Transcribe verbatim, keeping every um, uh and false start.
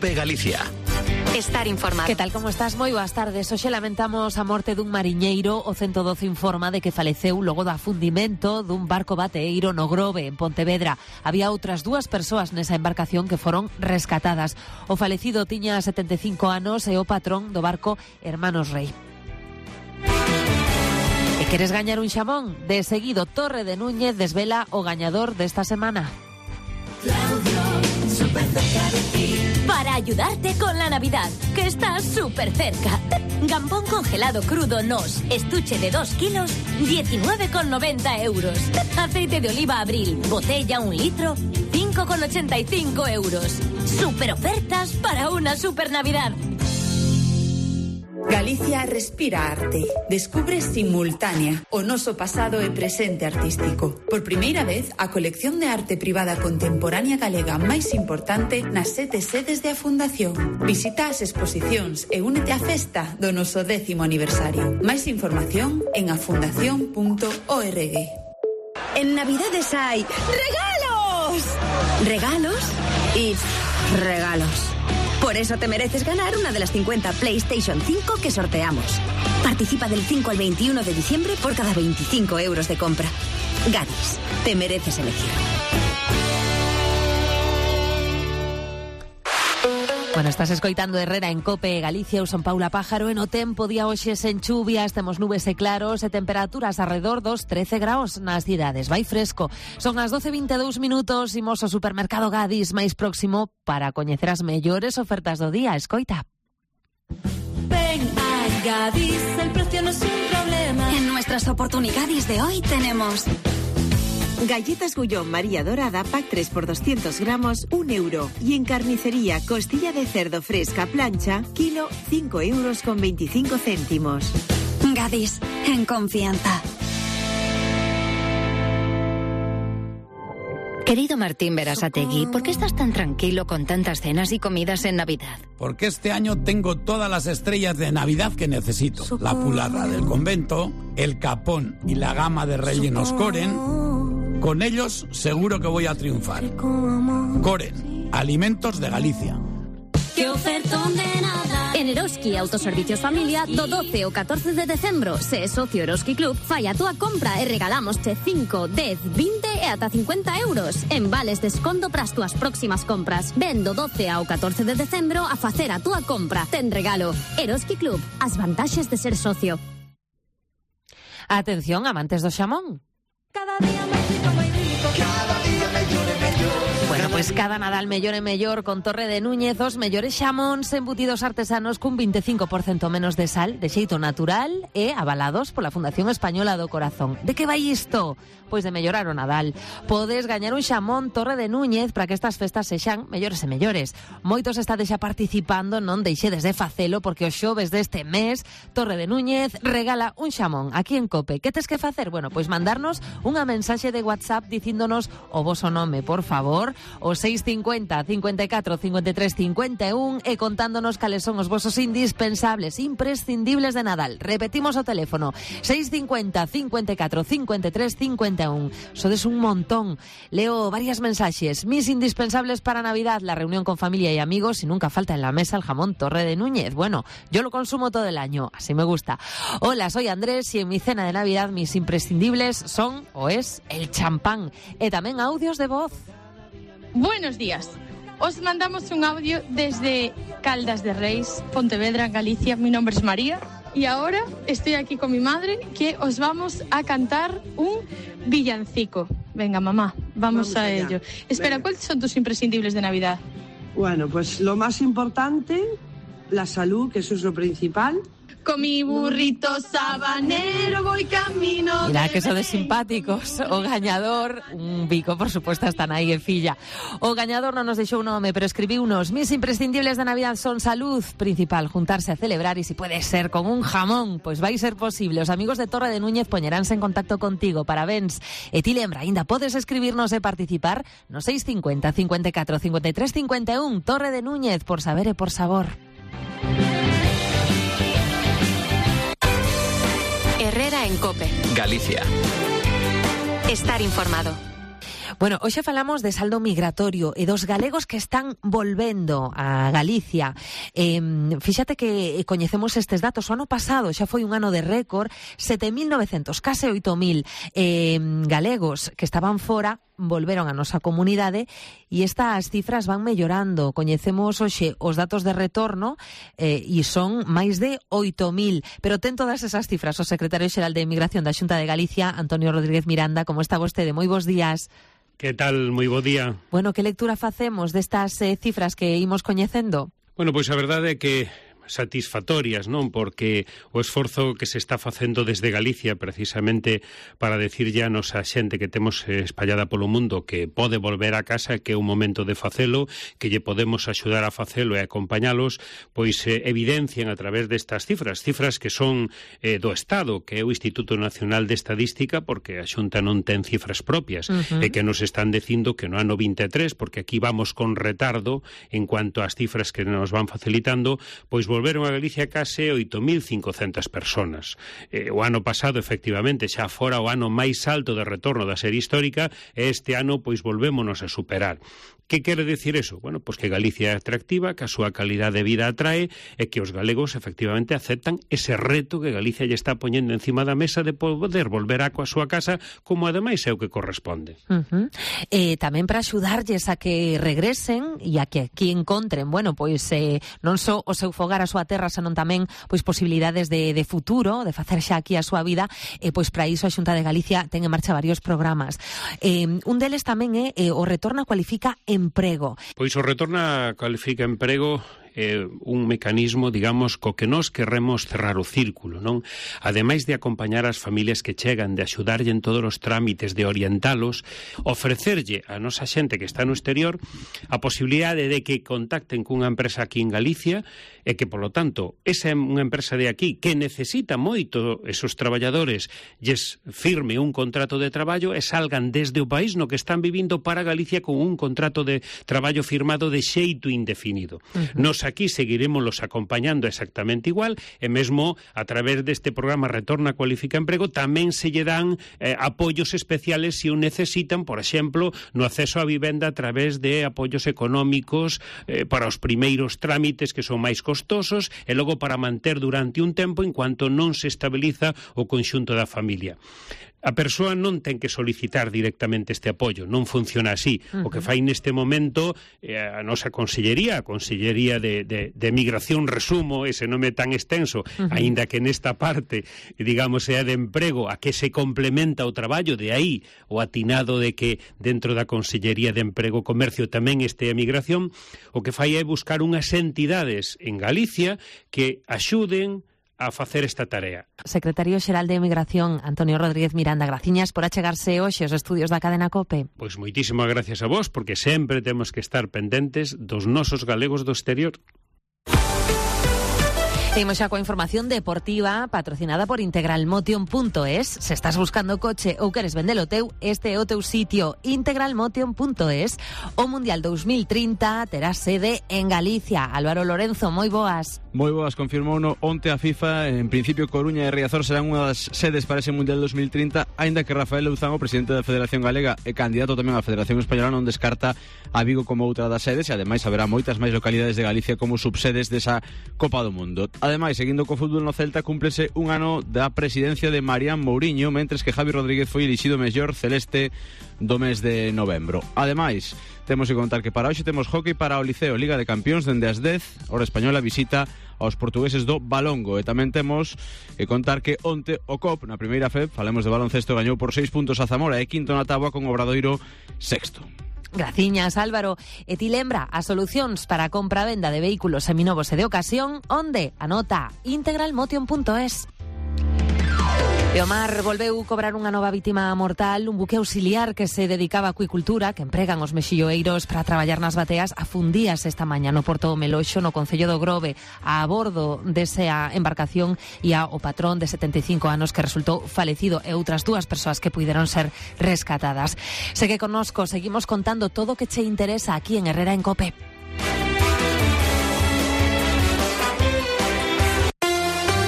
COPE Galicia. Estar informado. Que tal, como estás? Moi boas tardes. Hoxe lamentamos a morte dun mariñeiro. O ciento doce informa de que faleceu logo do afundimento dun barco bateeiro no Grove, en Pontevedra. Había outras dúas persoas nesa embarcación que foron rescatadas. O falecido tiña setenta e cinco anos e o patrón do barco Hermanos Rey. E queres gañar un xamón? De seguido, Torre de Núñez desvela o gañador desta semana. Claudio, súper cerca de ti. Para ayudarte con la Navidad, que está súper cerca. Gambón congelado crudo Nos, estuche de dos kilos, diecinueve con noventa euros. Aceite de oliva Abril, botella un litro, cinco con ochenta y cinco euros. Super ofertas para una super Navidad. Galicia respira arte. Descubre Simultánea, o noso pasado e presente artístico. Por primeira vez, a colección de arte privada contemporánea galega máis importante nas sete sedes de a Fundación. Visita as exposicións e únete á festa do noso décimo aniversario. Máis información en afundación punto org. En Navidades hay regalos. Regalos y regalos. Por eso te mereces ganar una de las cincuenta PlayStation cinco que sorteamos. Participa del cinco al veintiuno de diciembre por cada veinticinco euros de compra. Gadis, te mereces elegir. Bueno, estás escoitando Herrera en COPE Galicia. Eu son Paula Pájaro. En o tempo, día hoxe sen chuvias, temos nubes e claros e temperaturas alrededor dos trece graus nas cidades. Vai fresco. Son as doce e vinte e dous minutos. Imos ao supermercado Gadis máis próximo para coñecer as mellores ofertas do día. Escoita. Ven a Gadis, el precio no es un problema. En nuestras oportunidades de hoy tenemos... Galletas Gullón María Dorada, pack tres por doscientos gramos, un euro. Y en carnicería, costilla de cerdo fresca plancha, kilo, cinco euros con veinticinco céntimos. Gadis, en confianza. Querido Martín Berasategui, ¿por qué estás tan tranquilo con tantas cenas y comidas en Navidad? Porque este año tengo todas las estrellas de Navidad que necesito. La pularra del convento, el capón y la gama de rellenos Coren. Con ellos seguro que voy a triunfar. Coren, alimentos de Galicia. ¡Qué ofertón de nada! En Eroski Autoservicios Familia, do doce ao catorce de decembro, se é socio Eroski Club, fai a túa compra e regalámosche cinco, dez, vinte e ata cincuenta euros en vales de desconto para as túas próximas compras. Ven do doce ao catorce de decembro a facer a túa compra. Ten regalo. Eroski Club, as vantaxes de ser socio. Atención, amantes do xamón. Cada día máis rico, máis rico. Cada día mellor e mellor. Bueno, pois pues cada Nadal mellor e mellor con Torre de Núñez, os mellores xamóns embutidos artesanos cun veinticinco por ciento menos de sal, de xeito natural e avalados pola Fundación Española do Corazón. De que vai isto? Pois de mellorar o Nadal. Podes gañar un xamón Torre de Núñez para que estas festas sexan mellores e mellores. Moitos estades xa participando, non deixedes de facelo, porque os xoves deste mes Torre de Núñez regala un xamón aquí en COPE. Que tes que facer? Bueno, pois mandarnos unha mensaxe de WhatsApp dicíndonos o voso nome, por favor, o seis cincuenta, cincuenta e catro, cincuenta e tres, cincuenta e un e contándonos cales son os vosos indispensables, imprescindibles de Nadal. Repetimos o teléfono, seis cincuenta, cincuenta e catro, cincuenta e tres, cincuenta e un. Sodes un montón. Leo varias mensajes. Mis indispensables para Navidad, la reunión con familia y amigos y nunca falta en la mesa el jamón Torre de Núñez. Bueno, yo lo consumo todo el año, así me gusta. Hola, soy Andrés y en mi cena de Navidad mis imprescindibles son o es el champán e tamén audios de voz. Buenos días. Os mandamos un audio desde Caldas de Reis, Pontevedra, Galicia. Mi nombre es María y ahora estoy aquí con mi madre que os vamos a cantar un villancico. Venga, mamá, vamos, vamos a allá. ello. Espera, Venga. ¿Cuáles son tus imprescindibles de Navidad? Bueno, pues lo más importante, la salud, que eso es lo principal. Con mi burrito sabanero voy camino. Mira que sodes simpáticos. O gañador, un bico, por supuesto, están aí en filla. O gañador non nos deixou un nome, pero escribiu unos. Mis imprescindibles de Navidad son salud, principal, juntarse a celebrar y si puede ser con un jamón, pues vai ser posible. Os amigos de Torre de Núñez poñeránse en contacto contigo. Parabéns. E ti lembra, ainda podes escribirnos e participar no seis cincuenta, cincuenta e catro, cincuenta e tres, cincuenta e un. Torre de Núñez, por saber e por sabor. Herrera en COPE. Galicia. Estar informado. Bueno, hoxe falamos de saldo migratorio e dos galegos que están volvendo a Galicia. Eh, fíxate que coñecemos estes datos. O ano pasado xa foi un ano de récord, sete mil novecentos, case oito mil eh, galegos que estaban fora volveron a nosa comunidade e estas cifras van mellorando. Coñecemos hoxe os datos de retorno eh, e son máis de oito mil. Pero ten todas esas cifras o secretario xeral de Emigración da Xunta de Galicia, Antonio Rodríguez Miranda. Como está vostede? Moi bons días. Que tal? Moi bo día. Bueno, que lectura facemos destas eh, cifras que imos coñecendo? Bueno, pois a verdade é que satisfactorias, non? Porque o esforzo que se está facendo desde Galicia precisamente para decirlle a nosa xente que temos espallada polo mundo que pode volver a casa, que é un momento de facelo, que lle podemos axudar a facelo e acompañalos, pois eh, evidencian a través destas cifras, cifras que son eh, do Estado, que é o Instituto Nacional de Estadística, porque a Xunta non ten cifras propias, uh-huh. e que nos están dicindo que no ano vinte e tres, porque aquí vamos con retardo en cuanto ás cifras que nos van facilitando, pois volveron a Galicia case oito mil cincocentas personas. Eh, o ano pasado, efectivamente, xa fora o ano máis alto de retorno da serie histórica, e este ano, pois, volvémonos a superar. Que quere decir eso? Bueno, pois que Galicia é atractiva, que a súa calidade de vida atrae e que os galegos efectivamente aceptan ese reto que Galicia lle está poñendo encima da mesa de poder volver a coa súa casa, como ademais é o que corresponde. Uh-huh. Eh, tamén para axudarlles a que regresen e a que aquí encontren, bueno, pois eh, non só o seu fogar, a súa terra, senón tamén pois posibilidades de, de futuro, de facer xa aquí a súa vida, e pois para iso a Xunta de Galicia ten en marcha varios programas. Eh, un deles tamén é eh, o Retorna Cualifica Emprego. Pois o Retorna Cualifica Emprego é un mecanismo, digamos, co que nós queremos cerrar o círculo, non? Ademais de acompañar as familias que chegan, de axudarlle en todos os trámites, de orientalos, ofrecerlle a nosa xente que está no exterior a posibilidade de que contacten cunha empresa aquí en Galicia e que, polo tanto, esa é unha empresa de aquí que necesita moito esos traballadores lles firme un contrato de traballo e salgan desde o país no que están vivindo para Galicia con un contrato de traballo firmado de xeito indefinido. Uh-huh. Nos aquí seguiremos acompañando exactamente igual e mesmo a través deste programa Retorna Cualifica Emprego tamén se lle dan eh, apoios especiales se o necesitan, por exemplo, no acceso á vivenda a través de apoios económicos eh, para os primeiros trámites que son máis costosos e logo para manter durante un tempo en cuanto non se estabiliza o conxunto da familia. A persoa non ten que solicitar directamente este apoio, non funciona así. Uh-huh. O que fai neste momento eh, a nosa Consellería, a Consellería de, de, de Migración, resumo ese nome tan extenso, uh-huh. aínda que nesta parte, digamos, é de emprego, a que se complementa o traballo, de aí o atinado de que dentro da Consellería de Emprego e Comercio tamén este a Migración, o que fai é buscar unhas entidades en Galicia que axuden a facer esta tarea. Secretario Xeral de Emigración, Antonio Rodríguez Miranda, graciñas por achegarse hoxe aos estudios da cadena COPE. Pois moitísimas gracias a vos, porque sempre temos que estar pendentes dos nosos galegos do exterior. Seguimos xa coa información deportiva patrocinada por integralmotion punto es. Se estás buscando coche ou queres vendelo teu, este é o teu sitio, integralmotion punto es. O Mundial dos mil trinta terá sede en Galicia. Álvaro Lorenzo, moi boas. Moi boas, confirmou no onte a FIFA. En principio, Coruña e Riazor serán unha das sedes para ese Mundial dos mil trinta, aínda que Rafael Louzán, o presidente da Federación Galega e candidato tamén á Federación Española, non descarta a Vigo como outra das sedes, e ademais haberá moitas máis localidades de Galicia como subsedes desa Copa do Mundo. Ademais, seguindo co fútbol no Celta, cúmplese un ano da presidencia de Marián Mouriño, mentres que Javi Rodríguez foi elixido mellor celeste do mes de novembro. Ademais, temos que contar que para hoxe temos hockey para o Liceo, Liga de Campións, dende as dez, hora española, visita aos portugueses do Balongo. E tamén temos que contar que onte o C O P, na primeira F E B, falemos de baloncesto, gañou por seis puntos a Zamora e quinto na táboa con Obradoiro sexto. Graciñas, Álvaro. E ti lembra as solucións para a compra-venda de vehículos seminovos e de ocasión, onde? Anota integralmotion punto es. E o mar volveu cobrar unha nova vítima mortal. Un buque auxiliar que se dedicaba á acuicultura, que empregan os mexilloeiros para traballar nas bateas, afundíase esta mañá no Porto do Meloxo, no concello do Grove. A bordo desa embarcación ia o patrón de setenta e cinco anos que resultou falecido e outras dúas persoas que puideron ser rescatadas. Segue connosco, seguimos contando todo o que che interesa aquí en Herrera en COPE.